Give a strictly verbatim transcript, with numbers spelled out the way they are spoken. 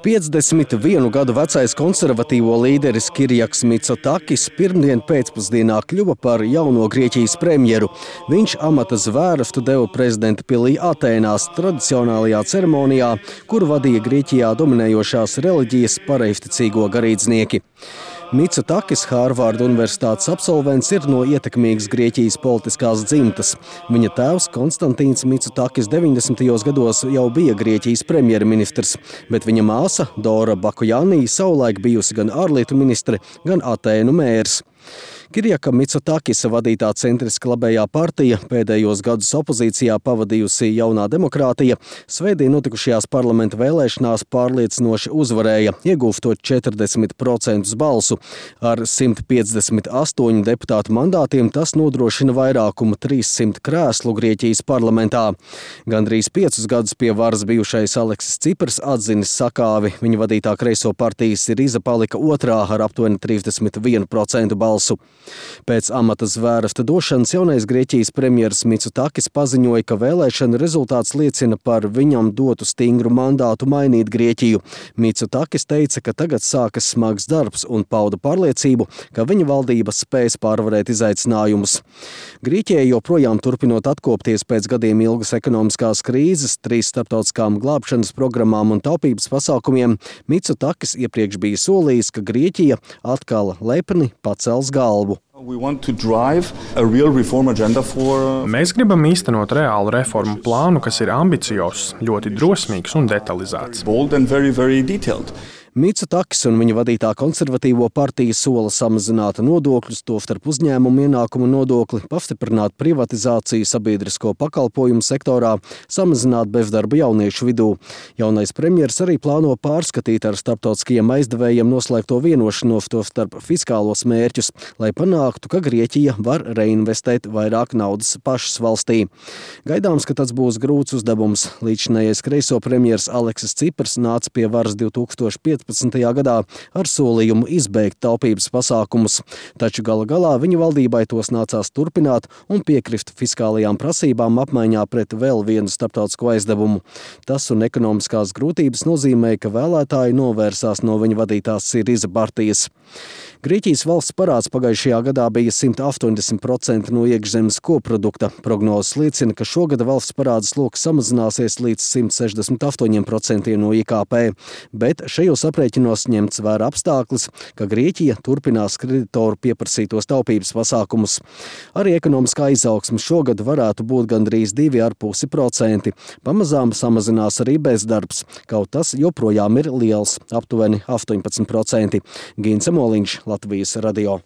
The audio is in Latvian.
piecdesmit vienu gadu vecais konservatīvo līderis Kirjaks Mitsotakis pirmdien pēcpusdienā kļuva par jauno Grieķijas premjeru. Viņš amata zvērstu deva prezidenta pilī Atēnās tradicionālajā ceremonijā, kuru vadīja Grieķijā dominējošās reliģijas pareizticīgo garīdznieki. Mitsotakis, Hārvarda universitātes absolvents, ir no ietekmīgas Grieķijas politiskās dzimtas. Viņa tēvs Konstantīns Mitsotakis deviņdesmitajos gados jau bija Grieķijas premjerministrs, bet viņa māsa Dora Bakujānī savulaik bijusi gan ārlietu ministre, gan Atēnu mērs. Kirjaka Mitsotakisa vadītā centriska labējā partija, pēdējos gadus opozīcijā pavadījusi Jaunā demokrātija, svētdien notikušajās parlamenta vēlēšanās pārliecinoši uzvarēja, iegūstot četrdesmit procentus balsu. Ar simt piecdesmit astoņu deputātu mandātiem tas nodrošina vairākumu trīssimt krēslu Grieķijas parlamentā. Gandrīz piecus gadus pie varas bijušais Aleksis Cipars atzinis sakāvi. Viņa vadītā kreiso partijas Siriza palika otrā ar aptuveni trīsdesmit vienu procentu balsu. Pēc amata zvērsta došanas jaunais Grieķijas premjeras Mitsotakis paziņoja, ka vēlēšana rezultāts liecina par viņam dotu stingru mandātu mainīt Grieķiju. Mitsotakis teica, ka tagad sākas smags darbs un pauda pārliecību, ka viņa valdība spēs pārvarēt izaicinājumus. Grieķijai joprojām turpinot atkopties pēc gadiem ilgas ekonomiskās krīzes, trīs starptautiskām glābšanas programmām un taupības pasākumiem, Mitsotakis iepriekš bija solījis, ka Grieķija atkal lepni pacels galvu. Mēs gribam īstenot reālu reformu plānu, kas ir ambiciozs, ļoti drosmīgs un detalizēts. Mitsotakis un viņa vadītā konservatīvo partija sola samazināt nodokļus, tostarp uzņēmumu ienākumu nodokli, pastiprināt privatizāciju sabiedrisko pakalpojumu sektorā, samazināt bezdarbu jauniešu vidū. Jaunais premjers arī plāno pārskatīt ar starptautiskajiem aizdevējiem noslēgto vienošanos, tostarp fiskālos mērķus, lai panāktu, ka Grieķija var reinvestēt vairāk naudas pašas valstī. Gaidāms, ka tas būs grūts uzdevums. Līdzinājais kreiso premjers Aleksis Cipars nāca pie varas divtūkstoš piecpadsmitajā gadā ar solījumu izbeigt taupības pasākumus, taču gala galā viņa valdībai tos nācās turpināt un piekrist fiskālajām prasībām apmaiņā pret vēl vienu starptautisko aizdevumu. Tas un ekonomiskās grūtības nozīmē, ka vēlētāji novērsās no viņa vadītās Siriza partijas. Grieķijas valsts parāds pagājušajā gadā bija simt astoņdesmit procenti no iekšzemes koprodukta. Prognozes liecina, ka šogad valsts parāda sloks samazināsies līdz simt sešdesmit astoņiem procentiem no I K P, bet šajos aprēķinos ņemts vērā apstāklis, ka Grieķija turpinās kreditoru pieprasītos taupības pasākumus. Arī ekonomiskā izaugsme šogad varētu būt gandrīz divi ar pusi procenti. Pamazām samazinās arī bezdarbs, kaut tas joprojām ir liels, aptuveni astoņpadsmit procenti. Gins Moliņš, Latvijas radio.